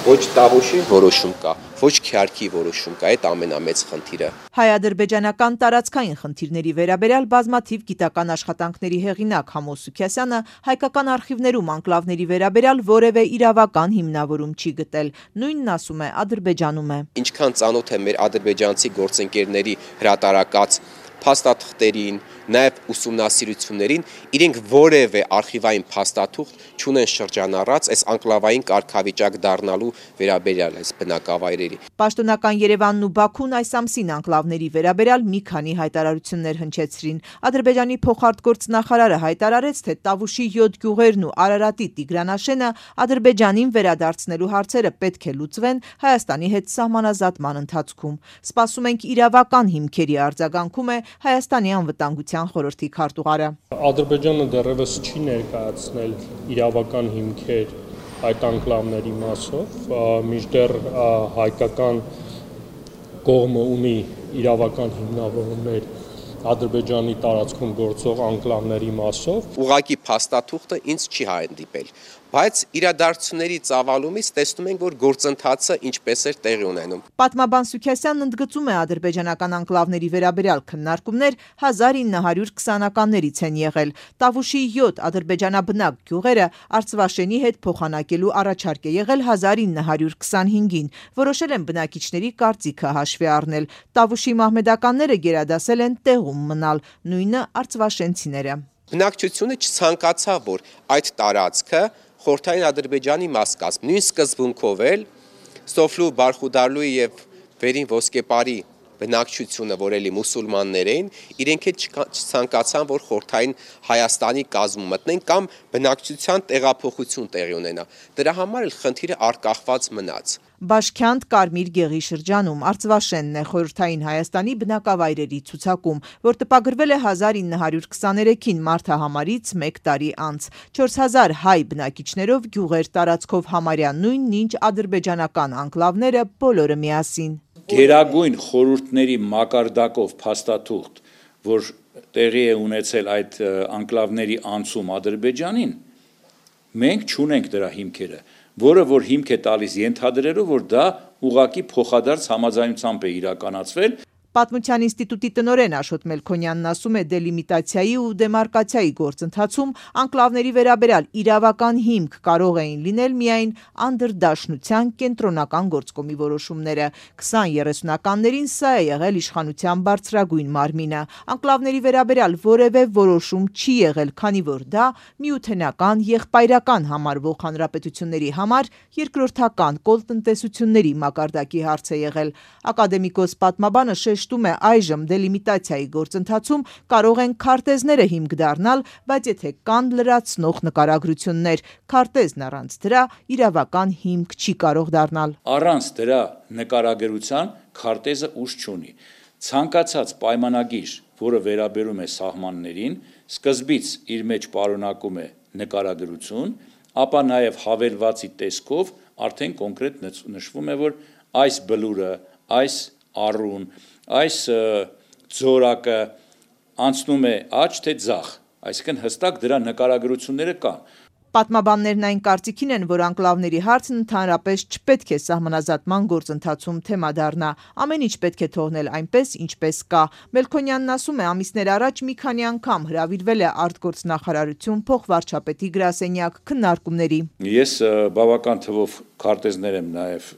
Ոչ Տավուշի որոշում կա, ոչ Քյարքի որոշում կա, այդ ամենամեծ խնդիրը։ Հայ-ադրբեջանական տարածքային խնդիրների վերաբերյալ բազմաթիվ գիտական աշխատանքների հեղինակ Համո Սուքիասյանը հայկական արխիվներում անկլավների վերաբերյալ որևէ իրավական հիմնավորում չի գտել, նույնն ասում է Ադրբեջանում է։ Ինչքան ծանոթ է մեր ադրբեջանցի գործընկերների հրատարակած փաստաթղթերին, նաև ուսումնասիրություններին, իրենք որևէ արխիվային փաստաթուղթ չունեն շրջանառած այս անկլավային կարգավիճակ դառնալու վերաբերյալ այս բնակավայրերի։ Պաշտոնական Երևանն ու Բաքուն այս ամսին անկլավների վերաբերյալ մի քանի հայտարարություններ հնչեցրին։ Ադրբեջանի փոխարտգործնախարարը հայտարարեց, թե Տավուշի 7 գյուղերն ու Արարատի Տիգրանաշենը Ադրբեջանին վերադարձնելու հարցերը պետք է լուծվեն Հայաստանի հետ սահմանազատման ընթացքում։ Սպասում ենք իրավական հիմքերի արձագանքում է Հայաստանի անվտանգության խորհրդի քարտուղարը։ Ադրբեջանը դեռևս չի ներկայացնել իրավական հիմքեր այդ անկլավների մասով, մինչդեռ հայկական կողմը ունի իրավական հիմնավորումներ Ադրբեջանի տարածքում գործող անկլավների մասով։ Ուղղակի փաստաթուղթը ինձ չի հանդիպել, բայց իրադարձությունների ծավալումից տեսնում ենք, որ գործընթացը ինչպես էր տեղի ունենում։ Պատմաբան Սուքիասյանն ընդգծում է ադրբեջանական անկլավների վերաբերյալ քննարկումներ 1920-ականներից են եղել։ Տավուշի 7 ադրբեջանաբնակ գյուղերը Արցվաշենի հետ փոխանակելու առաջարկ է եղել 1925-ին։ Որոշել են բնակիչների կարծիքը հաշվի առնել։ Տավուշի մահմեդականները գերադասել են տեղում մնալ, նույնը արցվաշենցիները։ Բնակչությունը չցանկացավ, որ այդ տարածքը խորհրդային Ադրբեջանի մաս կազմի։ Նույն սկզբունքով էլ Սոֆլու, Բարխուդարլուի եւ Վերին Ոսկեպարի բնակչությունը, որ էլի մուսուլմաններ էին, իրենք էլ չցանկացան, որ խորհրդային Հայաստանի կազմում մտնեն կամ բնակչության տեղափոխություն տեղի ունենա։ Դրա համար էլ խնդիրը արկախված մնաց։ Բաշքյանդ Կարմիր գեղի շրջանում Արցվաշենն է խորհրդային Հայաստանի բնակավայրերի ցուցակում, որ տպագրվել է 1923-ին մարտահամարից 1 տարի անց։ 4000 հայ բնակիչներով գյուղեր տարածքով համարյա նույնն ինչ ադրբեջանական անկլավները բոլորը միասին։ Գերագույն խորհուրդների մակարդակով փաստաթուղթ, որ տեղի է ունեցել այդ անկլավների անցում Ադրբեջանին, մենք չունենք դրա հիմքերը, որը որ հիմք է տալիս ենթադրելով, որ դա ուղղակի փոխադարձ համաձայնությամբ է իրականացվել։ Պատմության ինստիտուտի տնօրեն Աշոտ Մելքոնյանն ասում է, դելիմիտացիայի ու դեմարկացիայի գործընթացում անկլավների վերաբերյալ իրավական հիմք կարող էին լինել միայն անդրդաշնության կենտրոնական գործկոմի որոշումները։ 20-30-ականներին սա է եղել իշխանության բարձրագույն մարմինը։ Անկլավների վերաբերյալ որևէ որոշում չի եղել, քանի որ դա միութենական եղբայրական համարվող հանրապետությունների համար երկրորդական կոլտնտեսությունների մակարդակի հարց է եղել։ Ակադեմիկոս պատմաբանը շեշտում է, այժմ դելիմիտացիայի գործընթացում կարող են քարտեզները հիմք դառնալ, բայց եթե կան լրացնող նկարագրություններ, քարտեզն առանց դրա իրավական հիմք չի կարող դառնալ։ Առանց դրա նկարագրության քարտեզը ուժ չունի։ Ցանկացած պայմանագիր, որը վերաբերում է սահմաններին, սկզբից իր մեջ պարունակում է նկարագրություն, ապա նաև հավելվածի տեսքով արդեն կոնկրետ նշվում է, որ այս բլուրը, այս առուն, այս ձորակը անցնում է աջ թե ձախ, այսինքն հստակ դրա նկարագրությունները կան։ Պատմաբաններն այն կարծիքին են, որ անկլավների հարցն ընդհանրապես չպետք է սահմանազատման գործընթացում թեմա դառնա։ Ամեն ինչ պետք է թողնել այնպես, ինչպես կա։ Մելքոնյանն ասում է, ամիսներ առաջ մի քանի անգամ հրավիրվել է արտգործնախարարություն փոխվարչապետի գրասենյակ քննարկումների։ Ես բավական թվով քարտեզներ եմ նաև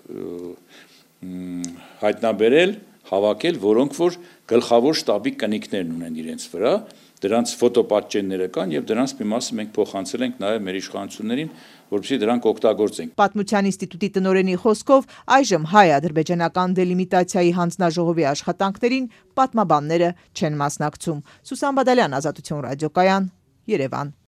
հայտնաբերել, հավաքել, որոնք որ գլխավոր շտաբի կնիքներն ունեն իրենց վրա, դրանց ֆոտոպատճենները կան եւ դրանց մի մասը մենք փոխանցել ենք նաեւ մեր իշխանություններին, որպեսզի դրանք օգտագործենք։ Պատմության ինստիտուտի տնօրենի խոսքով այժմ հայ-ադրբեջանական դելիմիտացիայի հանձնաժողովի աշխատանքներին պատմաբանները չեն մասնակցում։ Սուսան Բադալյան, Ազատություն ռադիոկայան, Երևան։